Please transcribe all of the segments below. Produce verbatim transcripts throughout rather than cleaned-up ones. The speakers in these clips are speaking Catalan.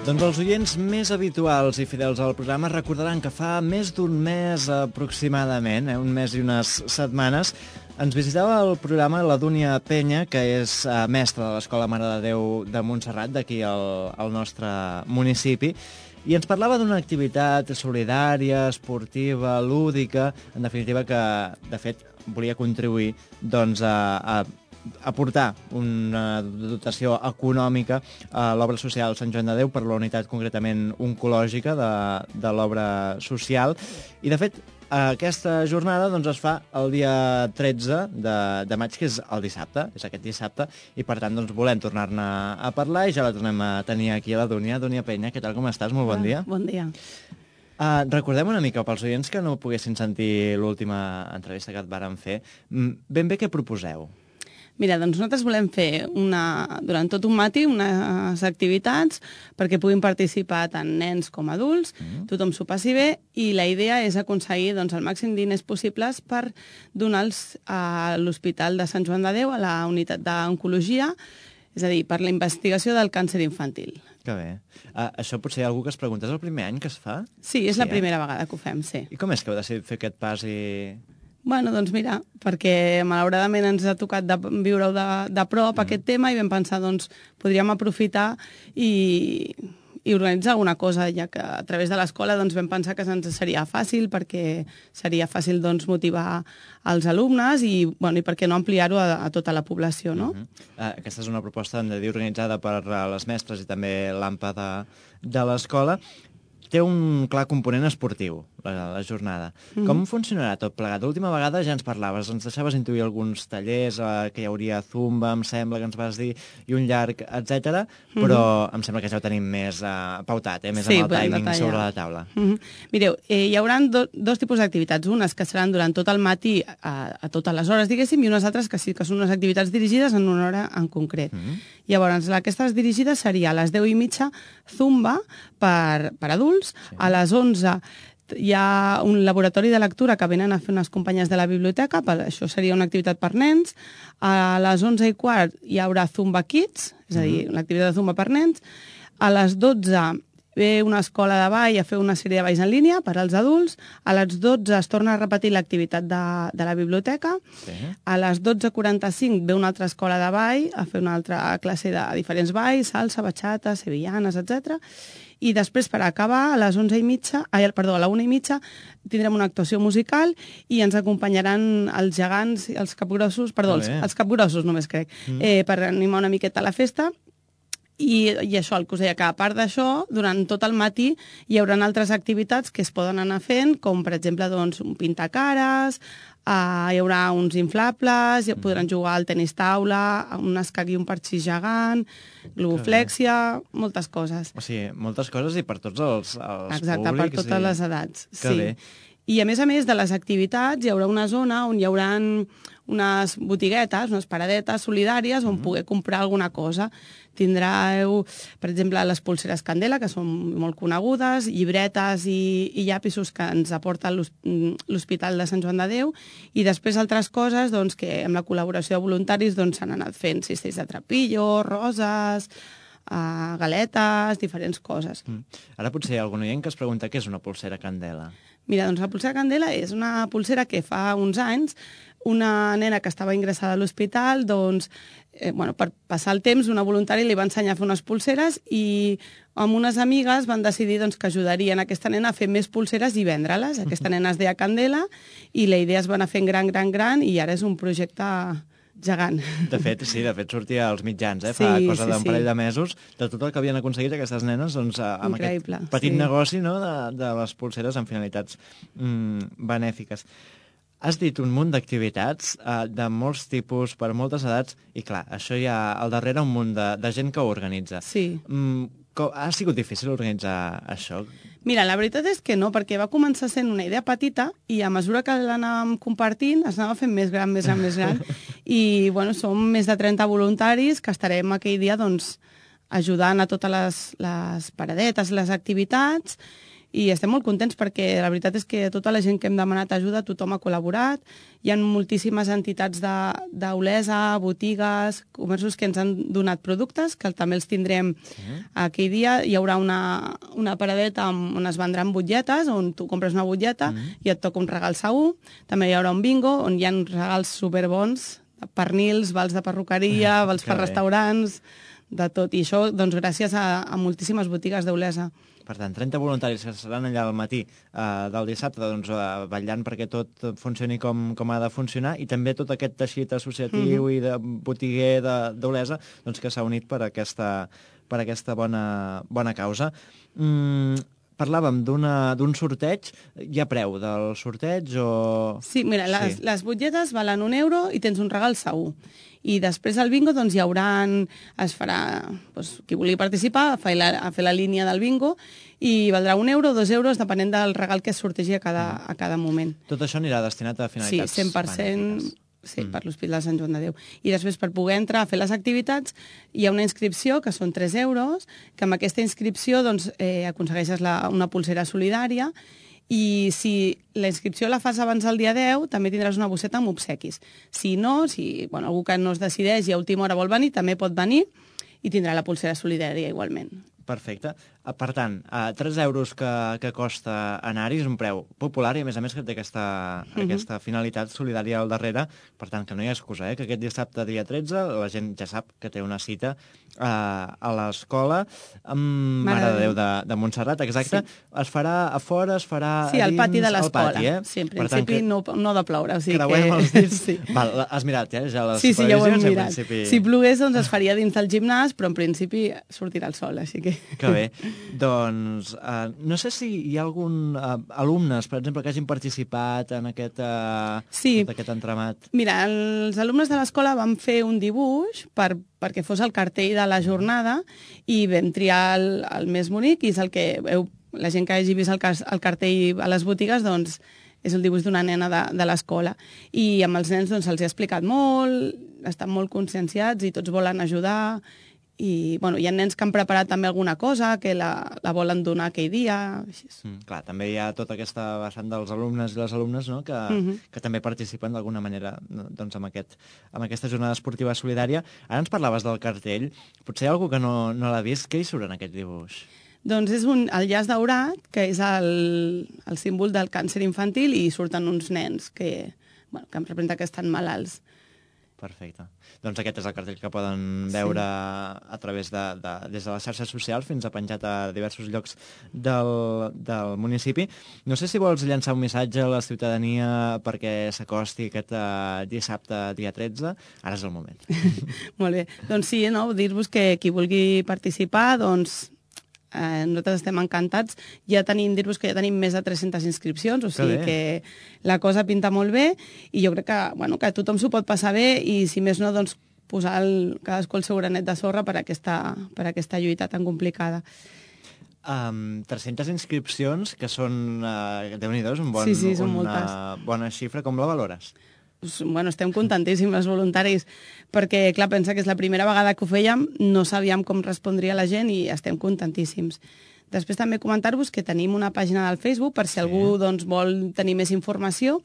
Doncs els oients més habituals i fidels al programa recordaran que fa més d'un mes aproximadament, eh, un mes i unes setmanes, ens visitava el programa la Dúnia Penya, que és eh, mestra de l'Escola Mare de Déu de Montserrat, d'aquí al, al nostre municipi, i ens parlava d'una activitat solidària, esportiva, lúdica, en definitiva que, de fet, volia contribuir doncs, a, a aportar una dotació econòmica a l'obra social Sant Joan de Déu per la unitat concretament oncològica de, de l'obra social. I, de fet, aquesta jornada doncs, es fa el dia tretze de, de maig, que és el dissabte, és aquest dissabte, i per tant doncs, volem tornar-ne a parlar i ja la tornem a tenir aquí a la Dúnia. Dúnia Penya, què tal, com estàs? Molt bon dia. Bon dia. Uh, recordem una mica, pels oients que no poguessin sentir l'última entrevista que et vàrem fer, ben bé què proposeu? Mira, doncs nosaltres volem fer una, durant tot un matí unes activitats perquè puguin participar tant nens com adults, mm. tothom s'ho passi bé, i la idea és aconseguir doncs, el màxim diners possibles per donar-los a l'Hospital de Sant Joan de Déu, a la unitat d'oncologia, és a dir, per la investigació del càncer infantil. Que bé. Uh, això potser hi ha algú que es pregunta, és el primer any que es fa? Sí, és sí, la eh? primera vegada que ho fem, sí. I com és que heu decidit fer aquest pas i... Bueno, doncs mira, perquè malauradament ens ha tocat de viure-ho de, de prop, mm. aquest tema, i vam pensar, doncs, podríem aprofitar i, i organitzar alguna cosa, ja que a través de l'escola doncs, vam pensar que ens seria fàcil, perquè seria fàcil doncs, motivar els alumnes i, bueno, i per què no ampliar-ho a, a tota la població, no? Mm-hmm. uh, aquesta és una proposta, hem de dir, organitzada per les mestres i també l'A M P A de, de l'escola. Té un clar component esportiu, la, la jornada. Mm-hmm. Com funcionarà tot plegat? L'última vegada ja ens parlaves, ens deixaves intuir alguns tallers, eh, que hi hauria zumba, em sembla que ens vas dir, i un llarg, etcètera, mm-hmm. però em sembla que ja ho tenim més eh, pautat, eh, més sí, amb el timing detallar. Sobre la taula. Mm-hmm. Mireu, eh, hi haurà do, dos tipus d'activitats, unes que seran durant tot el matí a, a totes les hores, diguéssim, i unes altres que sí que són unes activitats dirigides en una hora en concret. Mm-hmm. Llavors, aquestes dirigides seria a les deu i mitja zumba per, per adults, sí. A les onze hi ha un laboratori de lectura que venen a fer unes companyes de la biblioteca, per, això seria una activitat per nens. A les onze i quart hi haurà Zumba Kids, és a dir, l'activitat de Zumba per nens. A les dotze ve una escola de ball a fer una sèrie de balls en línia per als adults. A les dotze es torna a repetir l'activitat de, de la biblioteca. Sí. A les dotze quaranta-cinc ve una altra escola de ball a fer una altra classe de diferents balls, salsa, bachata, sevillanes, etcètera. I després, per acabar, a les onze i mitja, ai, perdó, a la una i mitja, tindrem una actuació musical i ens acompanyaran els gegants, els capgrossos, perdó, els, els capgrossos només crec, mm. eh, per animar una miqueta la festa. I, i això, el que us deia, que a part d'això, durant tot el matí hi haurà altres activitats que es poden anar fent, com per exemple doncs, un pintacares, uh, hi haurà uns inflables, mm. podran jugar al tenis taula, un escac i un parxís gegant, globoflèxia, moltes coses. O sigui, moltes coses i per tots els, els Exacte, públics. per totes i... les edats. Que sí. bé. I a més a més de les activitats hi haurà una zona on hi haurà unes botiguetes, unes paradetes solidàries on mm-hmm. poder comprar alguna cosa. Tindreu, per exemple, les pulseres Candela, que són molt conegudes, llibretes i, i llapisos que ens aporta l'Hospital de Sant Joan de Déu, i després altres coses doncs, que amb la col·laboració de voluntaris doncs, s'han anat fent cistells de trapillo, roses, uh, galetes, diferents coses. Mm. Ara potser hi ha algun oient que es pregunta què és una pulsera Candela. Mira, doncs la pulsera Candela és una pulsera que fa uns anys una nena que estava ingressada a l'hospital, doncs, eh, bueno, per passar el temps, una voluntària li va ensenyar a fer unes pulseres i amb unes amigues van decidir doncs, que ajudarien aquesta nena a fer més pulseres i vendre-les. Aquesta nena es deia Candela i la idea es va anar fent gran, gran, gran i ara és un projecte gegant. De fet, sí, de fet sortia als mitjans, eh? Fa sí, cosa d'un sí, parell sí. de mesos, de tot el que havien aconseguit aquestes nenes doncs, amb Increïble, aquest petit sí. negoci, no?, de, de les pulseres amb finalitats mm, benèfiques. Has dit un munt d'activitats eh, de molts tipus, per moltes edats, i clar, això hi ha al darrere un munt de, de gent que ho organitza. Sí. Mm, com, ha sigut difícil organitzar això? Mira, la veritat és que no, perquè va començar sent una idea petita i a mesura que l'anàvem compartint es anava fent més gran, més gran, més gran. I, bueno, som més de trenta voluntaris que estarem aquell dia, doncs, ajudant a totes les, les paradetes, les activitats, i estem molt contents perquè la veritat és que tota la gent que hem demanat ajuda, tothom ha col·laborat. Hi ha moltíssimes entitats d'Olesa, botigues, comerços que ens han donat productes, que també els tindrem sí. aquell dia. Hi haurà una, una paradeta on es vendran butlletes, on tu compres una butlleta mm. i et toca un regal segur. També hi haurà un bingo on hi ha regals superbons, pernils, vals de perruqueria, vals per restaurants, de tot. I això, doncs, gràcies a, a moltíssimes botigues d'Olesa. Per tant, trenta voluntaris que seran allà al matí eh, del dissabte, doncs, eh, vetllant perquè tot funcioni com, com ha de funcionar, i també tot aquest teixit associatiu mm-hmm. i de botiguer d'Olesa doncs, que s'ha unit per aquesta, per aquesta bona, bona causa. Mm, parlàvem d'un sorteig. Hi ha preu del sorteig o...? Sí, mira, les, sí. les butlletes valen un euro i tens un regal segur. I després al bingo doncs, hi haurà, es farà, doncs, qui vulgui participar, a fer, la, a fer la línia del bingo, i valdrà un euro o dos euros, depenent del regal que es sortegi a cada, a cada moment. Tot això anirà destinat a finalitats sí, cent per cent benèfiques. Sí, mm. per l'Hospital de Sant Joan de Déu. I després, per poder entrar a fer les activitats, hi ha una inscripció, que són tres euros, que amb aquesta inscripció doncs, eh, aconsegueixes la, una pulsera solidària, i si la inscripció la fas abans del dia deu, també tindràs una bosseta amb obsequis. Si no, si bueno, algú que no es decideix i a última hora vol venir, també pot venir i tindrà la pulsera solidària igualment. Perfecte. Per tant, tres euros que, que costa anar-hi és un preu popular i, a més a més, que té aquesta, uh-huh. aquesta finalitat solidària al darrere. Per tant, que no hi ha excusa, eh? Que aquest dissabte, dia tretze, la gent ja sap que té una cita eh, a l'escola amb Mare, Mare de Déu de, de Montserrat, exacte. Sí. Es farà a fora, es farà sí, a al dins, pati de l'escola. Eh? Sí, en principi no, no de ploure. O sigui creuem que... els dits. sí. Val, has mirat, eh? Ja les sí, sí, ja ho hem mirat. Principi... Si plogués, doncs es faria dins del gimnàs, però en principi sortirà el sol, així que... Que bé. Doncs uh, no sé si hi ha algun uh, alumnes, per exemple, que hagin participat en aquest, uh, sí. tot aquest entramat. Mira, els alumnes de l'escola van fer un dibuix per, perquè fos el cartell de la jornada i vam triar el, el més bonic, i és el que heu, la gent que hagi vist el, el cartell a les botigues, doncs és el dibuix d'una nena de, de l'escola. I amb els nens doncs, se'ls ha explicat molt, estan molt conscienciats i tots volen ajudar. I bueno, hi ha nens que han preparat també alguna cosa, que la, la volen donar aquell dia. Així. Mm, clar, també hi ha tota aquesta vessant dels alumnes i les alumnes, no?, que, uh-huh. que també participen d'alguna manera doncs, amb, aquest, amb aquesta jornada esportiva solidària. Ara ens parlaves del cartell. Potser hi ha algú que no, no l'ha vist. Què hi surt en aquest dibuix? Doncs és un, el llaç daurat, que és el, el símbol del càncer infantil, i surten uns nens que, bueno, que em representa que estan malalts. Perfecte. Doncs aquest és el cartell que poden veure sí. a través de, de, des de les xarxes socials fins a penjat a diversos llocs del, del municipi. No sé si vols llançar un missatge a la ciutadania perquè s'acosti aquest uh, dissabte, dia tretze. Ara és el moment. Molt bé. Doncs sí, no? Dir-vos que qui vulgui participar, doncs... Eh, nosaltres estem encantats. Ja tenim, dir-vos que ja tenim més de tres-centes inscripcions, o sigui que, que la cosa pinta molt bé, i jo crec que, bueno, que tothom s'ho pot passar bé, i si més no, doncs posar el, cadascú el seu granet de sorra per aquesta, per aquesta lluita tan complicada. Um, tres-centes inscripcions, que són, uh, Déu-n'hi-do, un bon, sí, sí, són una moltes. Bona xifra. Com la valores? Bueno, estem contentíssims els voluntaris, perquè, clar, pensa que és la primera vegada que ho fèiem, no sabíem com respondria la gent i estem contentíssims. Després també comentar-vos que tenim una pàgina del Facebook per si sí. algú doncs, vol tenir més informació.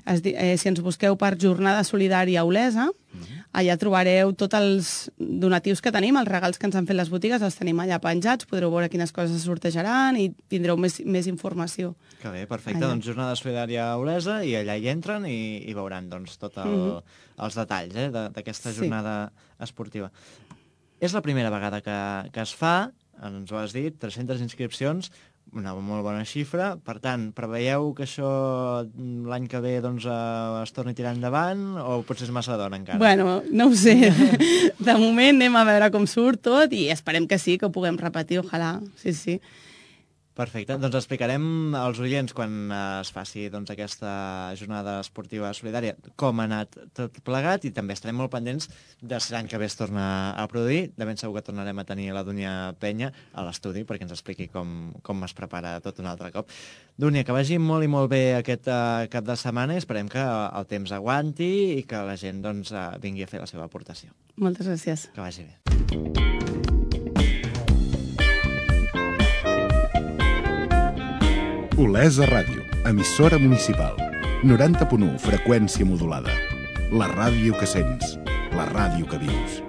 Es, eh, si ens busqueu per Jornada Solidària Olesa, uh-huh. allà trobareu tots els donatius que tenim, els regals que ens han fet les botigues, els tenim allà penjats, podreu veure quines coses es sortejaran i tindreu més, més informació. Que bé, perfecte. Allà. Doncs Jornada Solidària Olesa, i allà hi entren i, i veuran doncs, tots el, uh-huh. els detalls eh, d'aquesta jornada sí. esportiva. És la primera vegada que, que es fa, ens ho has dit, tres-centes inscripcions, una molt bona xifra. Per tant, preveieu que això l'any que ve doncs, eh, es torni a tirar endavant, o potser és massa d'hora encara? Bueno, no ho sé. De moment anem a veure com surt tot i esperem que sí, que ho puguem repetir, ojalà. Sí, sí. Perfecte. Doncs explicarem als oients, quan es faci doncs, aquesta jornada esportiva solidària, com ha anat tot plegat, i també estarem molt pendents de si l'any que ve es torna a produir. De ben segur que tornarem a tenir la Dúnia Penya a l'estudi perquè ens expliqui com, com es prepara tot un altre cop. Dúnia, que vagi molt i molt bé aquest uh, cap de setmana, i esperem que el temps aguanti i que la gent doncs, uh, vingui a fer la seva aportació. Moltes gràcies. Que vagi bé. Olesa Ràdio, emissora municipal. noranta punt u, freqüència modulada. La ràdio que sents, la ràdio que vius.